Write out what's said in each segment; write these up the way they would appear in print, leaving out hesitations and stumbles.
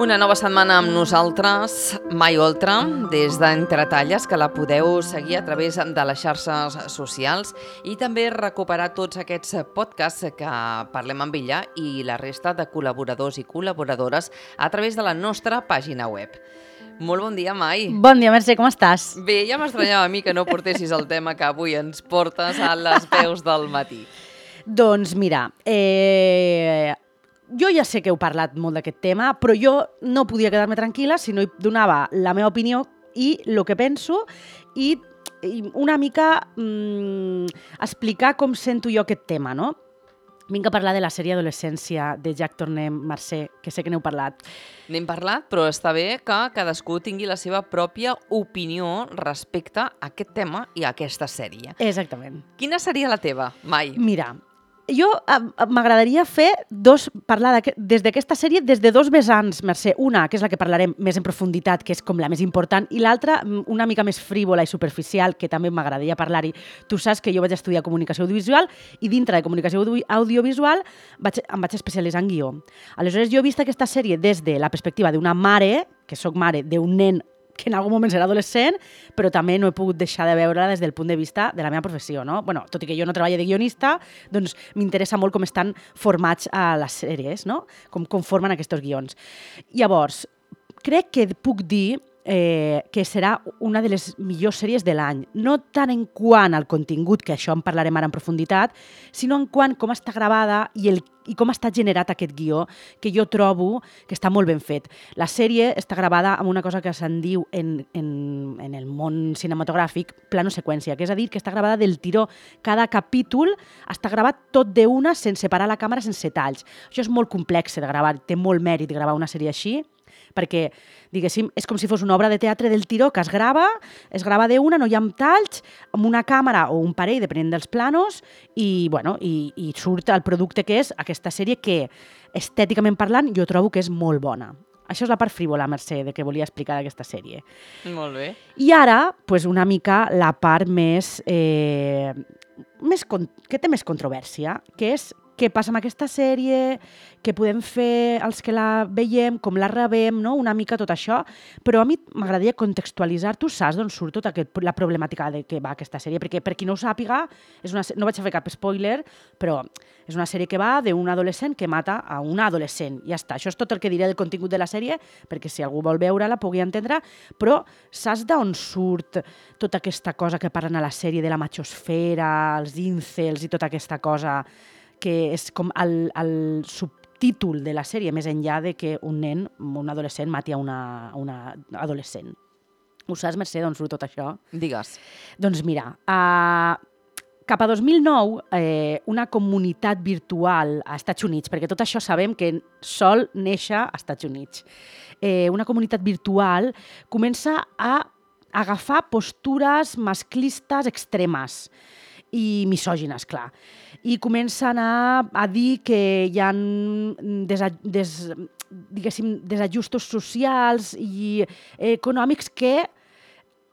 Una nova setmana amb nosaltres, Mai Oltra, des d'Entretalles, que la podeu seguir a través de les xarxes socials i també recuperar tots aquests podcasts que parlem amb ella i la resta de col·laboradors i col·laboradores a través de la nostra pàgina web. Molt bon dia, Mai. Bon dia, Mercè, com estàs? Bé, ja m'estranyava a mi que no portessis el tema que avui ens portes a les veus del matí. Doncs mira, jo ja sé que heu parlat molt d'aquest tema, però jo no podia quedar-me tranquil·la si no hi donava la meva opinió i el que penso i una mica explicar com sento jo aquest tema, no? Vinc a parlar de la sèrie Adolescència de Jack Tornem, Mercè, que sé que n'heu parlat. N'hem parlat, però està bé que cadascú tingui la seva pròpia opinió respecte a aquest tema i a aquesta sèrie. Exactament. Quina seria la teva, Mai? Mira, jo m'agradaria parlar des d'aquesta sèrie des de dos vessants, Mercè. Una, que és la que parlarem més en profunditat, que és com la més important, i l'altra, una mica més frívola i superficial, que també m'agradaria parlar-hi. Tu saps que jo vaig estudiar comunicació audiovisual i dintre de comunicació audiovisual em vaig especialitzar en guió. Aleshores, jo he vist aquesta sèrie des de la perspectiva d'una mare, que sóc mare d'un nen que en algun moment serà adolescent, però també no he pogut deixar de veure-la des del punt de vista de la meva professió, no? Bueno, tot i que jo no treballo de guionista, doncs m'interessa molt com estan formats a les sèries, no? Com formen aquests guions. Llavors, crec que puc dir que serà una de les millors sèries de l'any, no tant en quant al contingut, que això en parlarem ara en profunditat, sinó en quant com està gravada i com està generat aquest guió, que jo trobo que està molt ben fet. La sèrie està gravada amb una cosa que se'n diu en el món cinematogràfic plano seqüència, que és a dir, que està gravada del tiró. Cada capítol està gravat tot d'una, sense parar la càmera, sense talls. Això és molt complex de gravar, té molt mèrit gravar una sèrie així, perquè, diguéssim, és com si fos una obra de teatre del tiró que es grava d'una, no hi ha talls, amb una càmera o un parell, depenent dels planos, i surt el producte que és aquesta sèrie que, estèticament parlant, jo trobo que és molt bona. Això és la part frívola, Mercè, de què volia explicar d'aquesta sèrie. Molt bé. I ara, una mica la part que té més controvèrsia, que és què passa amb aquesta sèrie, què podem fer els que la veiem, com la rebem, no? Una mica tot això. Però a mi m'agradaria contextualitzar. Tu saps d'on surt tota la problemàtica de què va aquesta sèrie? Perquè per qui no ho sàpiga, no vaig a fer cap spoiler, però és una sèrie que va d'un adolescent que mata a una adolescent. Ja està. Això és tot el que diré del contingut de la sèrie, perquè si algú vol veure-la pugui entendre. Però saps d'on surt tota aquesta cosa que parlen a la sèrie de la machosfera, els incels i tota aquesta cosa que és com el subtítol de la sèrie, més enllà de que un nen, un adolescent, mati a una adolescent. Ho saps, Mercè, d'on surt tot això? Digues. Doncs mira, cap a 2009, una comunitat virtual a Estats Units, perquè tot això sabem que sol néixer a Estats Units, una comunitat virtual comença a agafar postures masclistes extremes i misògines, clar. I comencen a dir que hi ha desajustos socials i econòmics que,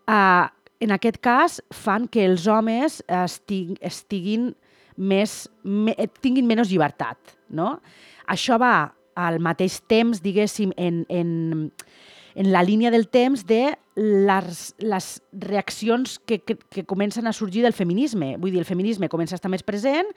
en aquest cas, fan que els homes tinguin menys llibertat, no? Això va al mateix temps, diguéssim, en la línia del temps de les reaccions que comencen a sorgir del feminisme. Vull dir, el feminisme comença a estar més present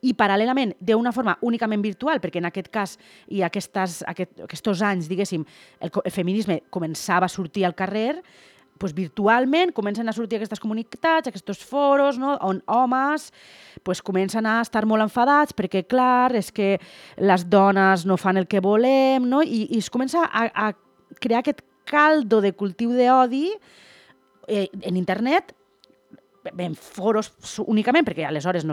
i, paral·lelament, d'una forma únicament virtual, perquè en aquest cas i aquests anys, diguéssim, el feminisme començava a sortir al carrer, doncs virtualment comencen a sortir aquestes comunitats, aquests foros, no?, on homes comencen a estar molt enfadats perquè, clar, és que les dones no fan el que volem, no?, i es comença a crear aquest caldo de cultiu d'odi en internet, en foros únicament, perquè aleshores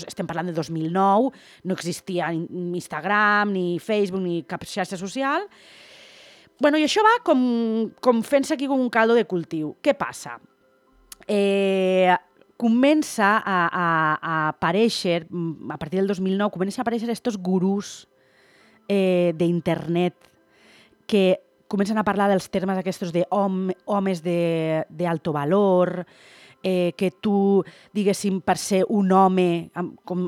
estem parlant de 2009, no existia Instagram, ni Facebook, ni cap xarxa social. I això va com fent-se aquí com un caldo de cultiu. Què passa? Comença a aparèixer, a partir del 2009, comença a aparèixer aquests gurús d'internet que comencen a parlar dels termes aquests d'homes d'alto valor, que tu, diguéssim, per ser un home, com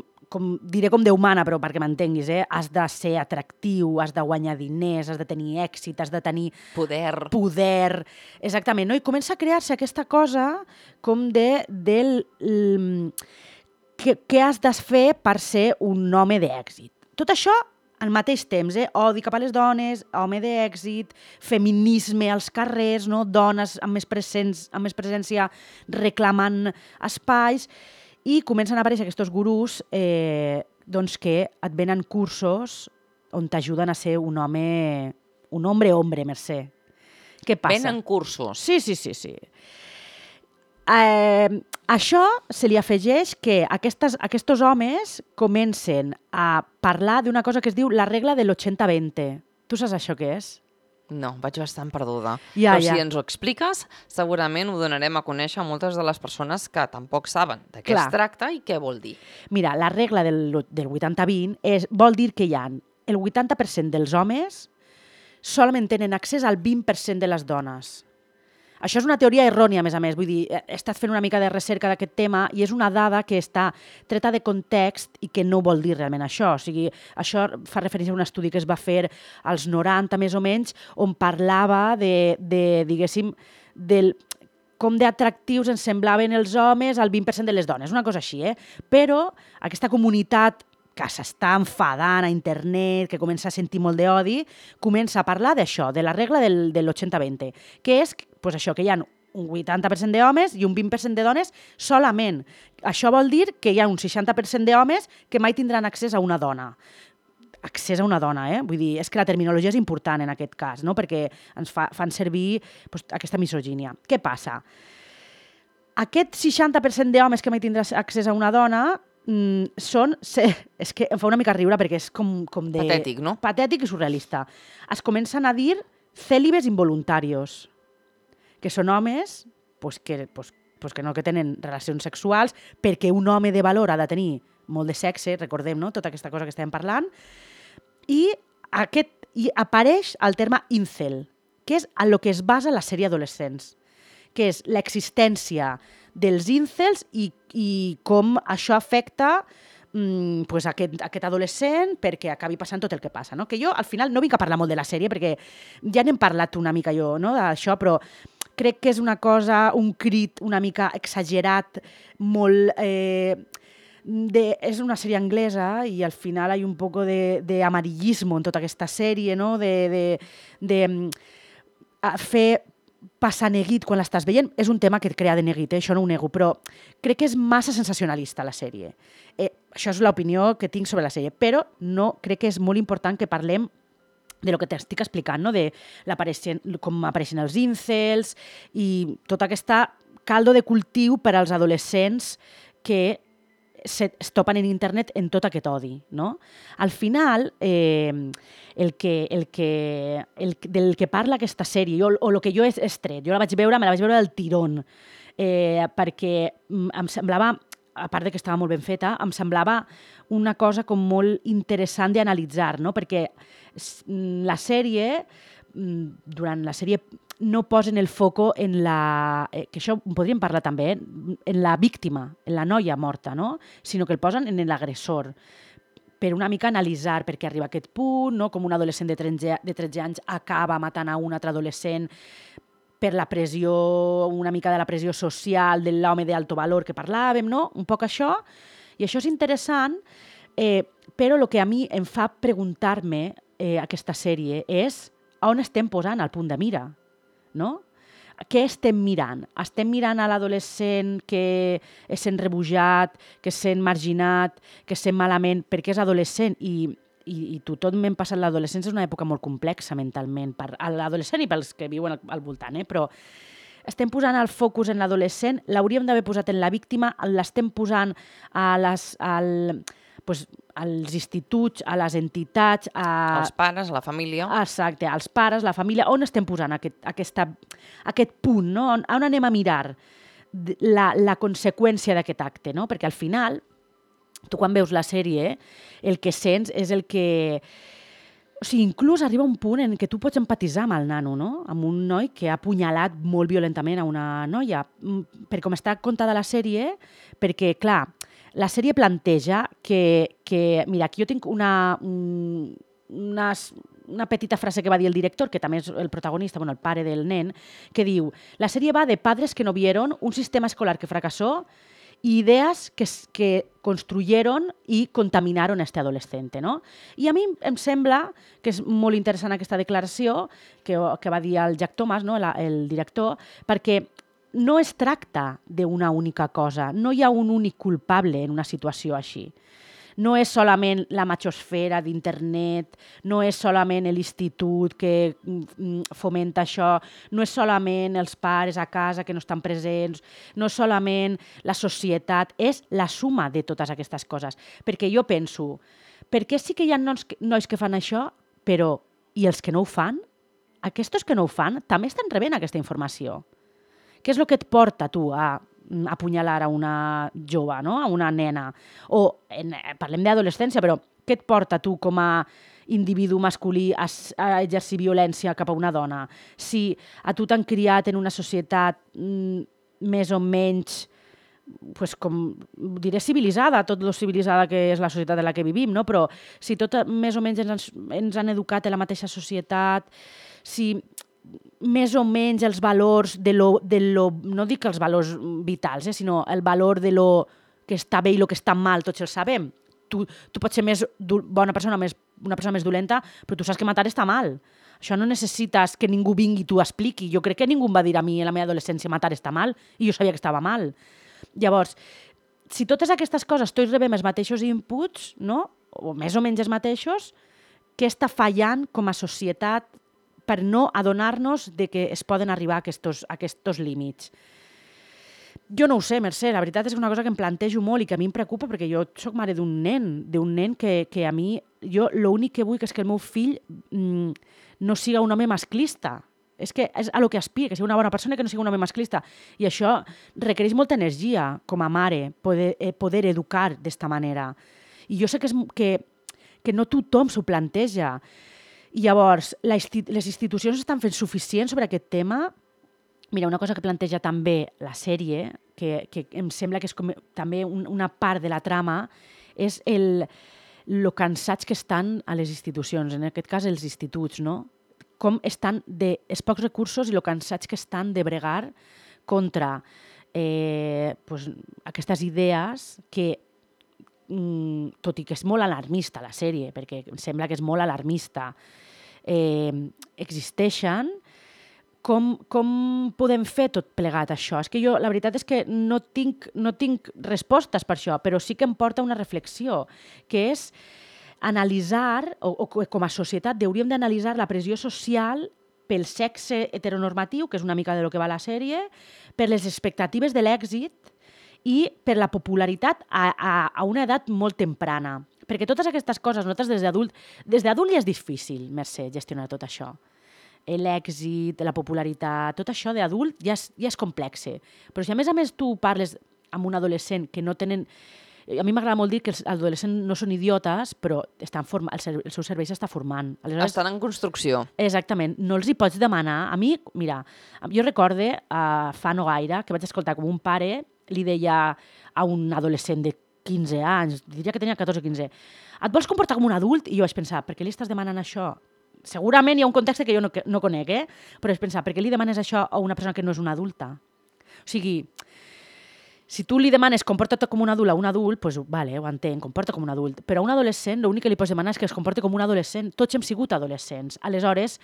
diré com Déu mana, però perquè m'entenguis, has de ser atractiu, has de guanyar diners, has de tenir èxit, has de tenir poder. Exactament, no? I comença a crear-se aquesta cosa com què has de fer per ser un home d'èxit. Tot això al mateix temps, odi cap a les dones, home d'èxit, feminisme als carrers, no? Dones amb més presència reclamant espais, i comencen a aparèixer aquests gurús que et venen cursos on t'ajuden a ser un hombre, Mercè. Què passa? Venen cursos? Sí. Això se li afegeix que aquests homes comencen a parlar d'una cosa que es diu la regla de l'80-20. Tu saps això què és? No, vaig bastant perduda. Però si ens ho expliques, segurament ho donarem a conèixer a moltes de les persones que tampoc saben de què es tracta i què vol dir. Mira, la regla del 80-20 vol dir que el 80% dels homes solament tenen accés al 20% de les dones. Això és una teoria errònia, a més. Vull dir, he estat fent una mica de recerca d'aquest tema i és una dada que està treta de context i que no vol dir realment això. O sigui, això fa referència a un estudi que es va fer als 90, més o menys, on parlava diguéssim, com d'atractius ens semblaven els homes al 20% de les dones, una cosa així, Però aquesta comunitat que s'està enfadant a internet, que comença a sentir molt d'odi, comença a parlar d'això, de la regla de l'80-20, que és això, que hi ha un 80% d'homes i un 20% de dones solament. Això vol dir que hi ha un 60% d'homes que mai tindran accés a una dona. Accés a una dona, Vull dir, és que la terminologia és important en aquest cas, no? Perquè ens fan servir aquesta misogínia. Què passa? Aquest 60% d'homes que mai tindran accés a una dona és que em fa una mica riure perquè és com de... Patètic, no? Patètic i surrealista. Es comencen a dir célibes involuntarios, que són homes que no tenen relacions sexuals perquè un home de valor ha de tenir molt de sexe, recordem, no? Tota aquesta cosa que estem parlant, i apareix el terme incel, que és en el que es basa la sèrie Adolescents, que és l'existència dels incels i com això afecta aquest adolescent perquè acabi passant tot el que passa. No? Que jo, al final, no vinc a parlar molt de la sèrie perquè ja n'hem parlat una mica jo, no, d'això, però crec que és una cosa, un crit una mica exagerat, molt... és una sèrie anglesa i al final hi ha un poc d'amarillismo en tota aquesta sèrie, no? de fer passar neguit quan l'estàs veient. És un tema que et crea de neguit, això no ho nego, però crec que és massa sensacionalista la sèrie. Això és l'opinió que tinc sobre la sèrie, però no crec que és molt important que parlem de lo que t'estic explicant, no? De com apareixen els incels i tota aquesta caldo de cultiu per als adolescents que es topen en internet en tot aquest odi, no? Al final, del que parla aquesta sèrie, o el que jo he tret, jo me la vaig veure del tirón, perquè em semblava, a part que estava molt ben feta, em semblava una cosa com molt interessant d'analitzar, no? Perquè la sèrie, durant la sèrie, no posen el foco en que això ho podríem parlar també, en la víctima, en la noia morta, no? Sinó que el posen en l'agressor, per una mica analitzar per què arriba a aquest punt, no? Com un adolescent de 13 anys acaba matant a un altre adolescent per la pressió, una mica de la pressió social de l'home d'alto valor que parlàvem, no? Un poc això. I això és interessant, però el que a mi em fa preguntar-me aquesta sèrie és on estem posant el punt de mira, no? Què estem mirant? Estem mirant a l'adolescent que es sent rebutjat, que es sent marginat, que es sent malament perquè és adolescent i tothom m'hem passat l'adolescència, és una època molt complexa mentalment, per a l'adolescent i pels que viuen al voltant, però estem posant el focus en l'adolescent, l'hauríem d'haver posat en la víctima, l'estem posant als instituts, a les entitats... als pares, a la família. Exacte, als pares, la família. On estem posant aquest punt, no? On anem a mirar la conseqüència d'aquest acte, no? Perquè al final, tu quan veus la sèrie, el que sents és el que... O sigui, inclús arriba un punt en què tu pots empatitzar amb el nano, no? Amb un noi que ha apunyalat molt violentament a una noia. Per com està contada la sèrie, perquè, clar, la sèrie planteja que mira, aquí jo tinc una petita frase que va dir el director, que també és el protagonista, bueno, el pare del nen, que diu: la sèrie va de padres que no vieron, un sistema escolar que fracasó y ideas que construyeron y contaminaron a este adolescente, no? I a mi em sembla que és molt interessant aquesta declaració que va dir el Jack Thomas, no? el director, perquè no es tracta d'una única cosa, no hi ha un únic culpable en una situació així. No és solament la machosfera d'internet, no és solament l'institut que fomenta això, no és solament els pares a casa que no estan presents, no és solament la societat, és la suma de totes aquestes coses. Perquè jo penso, per què sí que hi ha nois que fan això, però i els que no ho fan? Aquests que no ho fan també estan rebent aquesta informació. Què és el que et porta tu a apunyalar a una jove, no? A una nena? O parlem d'adolescència, però què et porta tu com a individu masculí a exercir violència cap a una dona? Si a tu t'han criat en una societat més o menys, pues, com diré civilitzada, tot lo civilitzada que és la societat en la que vivim, no? Però si tot més o menys ens han educat en la mateixa societat, si més o menys els valors de lo no dic els valors vitals, sinó el valor de lo que està bé i lo que està mal, tots els sabem. Tu pots ser més bona persona, una persona més dolenta, però tu saps que matar està mal. Això no necessites que ningú vingui i t'ho expliqui. Jo crec que ningú em va dir a mi en la meva adolescència matar està mal, i jo sabia que estava mal. Llavors, si totes aquestes coses tots rebem els mateixos inputs, no? O més o menys els mateixos, què està fallant com a societat per no adonar-nos de que es poden arribar a aquests límits? Jo no ho sé, Mercè, la veritat és una cosa que em plantejo molt i que a mi em preocupa, perquè jo soc mare d'un nen que a mi, jo l'únic que vull és que el meu fill no siga un home masclista. És que és a lo que aspira, que sigui una bona persona i que no sigui un home masclista. I això requereix molta energia com a mare, poder educar d'esta manera. I jo sé que no tothom s'ho planteja. I llavors, les institucions estan fent suficient sobre aquest tema? Mira, una cosa que planteja també la sèrie, que em sembla que és com també una part de la trama, és el cansats que estan a les institucions, en aquest cas els instituts, no? Com estan els pocs recursos i el cansats que estan de bregar contra aquestes idees que, tot i que és molt alarmista la sèrie, perquè em sembla que és molt alarmista, existeixen. Com podem fer tot plegat això? És que jo, la veritat és que no tinc respostes per això, però sí que em porta una reflexió, que és analitzar, o com a societat hauríem d'analitzar la pressió social pel sexe heteronormatiu, que és una mica de lo que va la sèrie, per les expectatives de l'èxit i per la popularitat a una edat molt temprana. Perquè totes aquestes coses, nosaltres des d'adult ja és difícil, Mercè, gestionar tot això. L'èxit, la popularitat, tot això d'adult ja és complex. Però si a més tu parles amb un adolescent que no tenen... A mi m'agrada molt dir que els adolescents no són idiotes, però el seu cervell s'està formant. Aleshores, estan en construcció. Exactament. No els hi pots demanar... A mi, mira, jo recorde fa no gaire que vaig escoltar com un pare li deia a un adolescent de 15 anys, diria que tenia 14 o 15, et vols comportar com un adult? I jo vaig pensar, per què li estàs demanant això? Segurament hi ha un context que jo no conec, però vaig pensar, per què li demanes això a una persona que no és una adulta? O sigui, si tu li demanes comporta't com un adult a un adult, doncs vale, ho entenc, comporta com un adult. Però a un adolescent l'únic que li pots demanar és que es comporti com un adolescent. Tots hem sigut adolescents. Aleshores,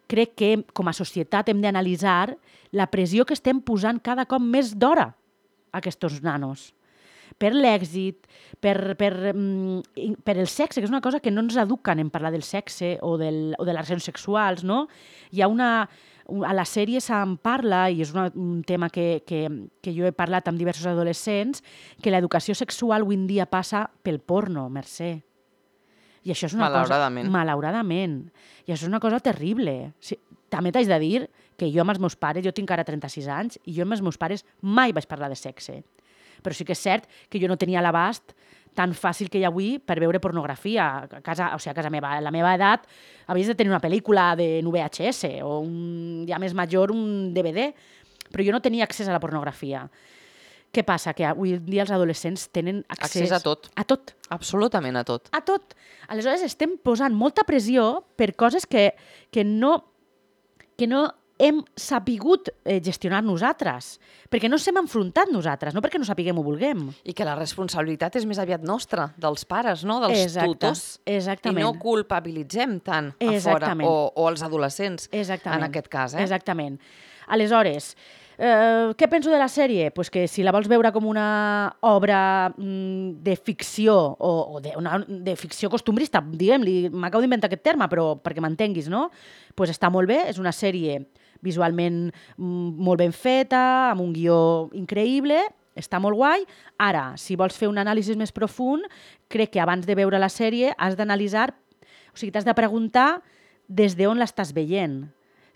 crec que com a societat hem d'analitzar la pressió que estem posant cada cop més d'hora a aquests nanos. Per l'èxit, per el sexe, que és una cosa que no ens eduquen en parlar del sexe o de les relacions sexuals, no? Hi ha a la sèrie se'n parla, i és un tema que jo he parlat amb diversos adolescents, que l'educació sexual avui en dia passa pel porno, Mercè. I això és una malauradament. Malauradament. I això és una cosa terrible. També t'haig de dir que jo amb els meus pares, jo tinc ara 36 anys, i jo amb els meus pares mai vaig parlar de sexe. Però sí que és cert que jo no tenia l'abast tan fàcil que hi ha avui per veure pornografia a casa meva. A la meva edat havies de tenir una pel·lícula en VHS o ja més major un DVD, però jo no tenia accés a la pornografia. Què passa? Que avui en dia els adolescents tenen accés a tot. A tot. Absolutament a tot. A tot. Aleshores estem posant molta pressió per coses que no hem sapigut gestionar nosaltres, perquè no s'hem enfrontat nosaltres, no perquè no sapiguem o vulguem. I que la responsabilitat és més aviat nostra, dels pares, no? Dels tutors. Exactament. I no culpabilitzem tant a fora, o els adolescents, en aquest cas. Exactament. Aleshores, què penso de la sèrie? Pues que si la vols veure com una obra de ficció, o de ficció costumbrista, diguem-li, m'acabo d'inventar aquest terme, però perquè m'entenguis, no? Pues està molt bé, és una sèrie visualment molt ben feta, amb un guió increïble, està molt guai. Ara, si vols fer un anàlisi més profund, crec que abans de veure la sèrie has d'analitzar, o sigui, t'has de preguntar des d'on l'estàs veient.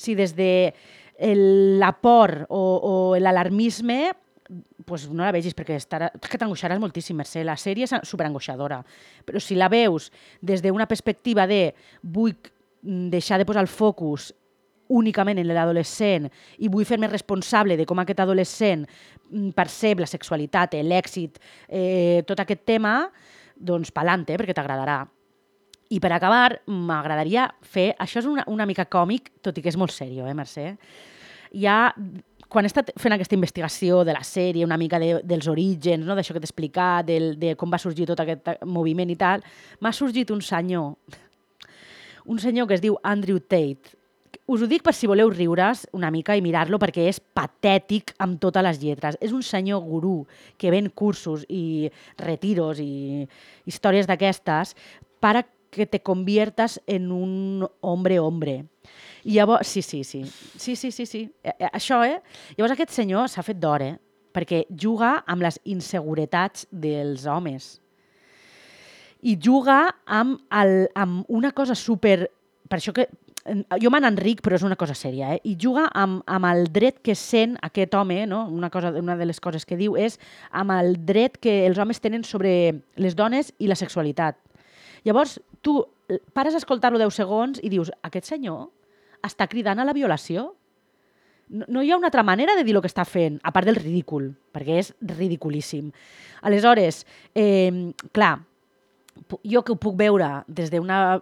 Si des de la por o l'alarmisme, pues no la vegis, perquè és que t'angoixaràs moltíssim, Mercè. La sèrie és superangoixadora. Però si la veus des d'una perspectiva de vull deixar de posar el focus únicament en l'adolescent i vull fer-me responsable de com aquest adolescent percep la sexualitat, l'èxit, tot aquest tema, doncs pa'lante, perquè t'agradarà. I per acabar, m'agradaria fer... Això és una mica còmic, tot i que és molt seriós, Mercè? Quan he estat fent aquesta investigació de la sèrie, una mica dels orígens, no? D'això que t'he explicat, de com va sorgir tot aquest moviment i tal, m'ha sorgit un senyor que es diu Andrew Tate. Us ho dic per si voleu riure's una mica i mirar-lo, perquè és patètic amb totes les lletres. És un senyor gurú que ven cursos i retiros i històries d'aquestes para que te conviertas en un hombre. I llavors, sí. Això, Llavors aquest senyor s'ha fet d'or, perquè juga amb les inseguretats dels homes. I juga amb una cosa super... Per això que jo me n'enric, però és una cosa sèria, I juga amb el dret que sent aquest home, no? Una de les coses que diu és amb el dret que els homes tenen sobre les dones i la sexualitat. Llavors, tu pares a escoltar-lo 10 segons i dius, aquest senyor està cridant a la violació? No hi ha una altra manera de dir el que està fent, a part del ridícul, perquè és ridiculíssim. Aleshores, clar, jo que ho puc veure des d'una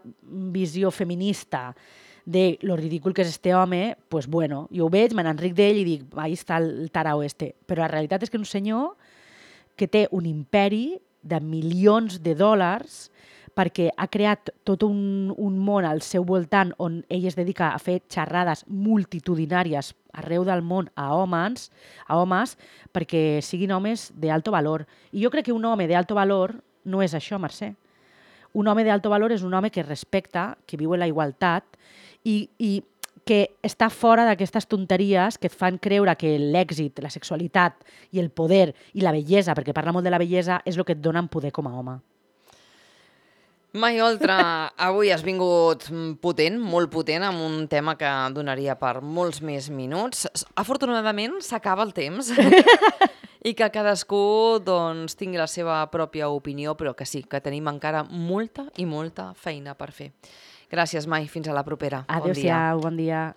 visió feminista de lo ridícul que és este home, pues bueno, jo ho veig, me n'enric d'ell i dic, ahí està el tarao este. Però la realitat és que és un senyor que té un imperi de milions de dòlars perquè ha creat tot un món al seu voltant on ell es dedica a fer xerrades multitudinàries arreu del món a homes perquè siguin homes d'alto valor. I jo crec que un home d'alto valor no és això, Mercè. Un home d'alto valor és un home que respecta, que viu en la igualtat i que està fora d'aquestes tonteries que et fan creure que l'èxit, la sexualitat i el poder i la bellesa, perquè parla molt de la bellesa, és el que et donen poder com a home. Mai Oltra, avui has vingut potent, molt potent, amb un tema que donaria per molts més minuts. Afortunadament s'acaba el temps i que cadascú doncs, tingui la seva pròpia opinió, però que sí, que tenim encara molta i molta feina per fer. Gràcies, Mai. Fins a la propera. Adéu-siau, bon dia.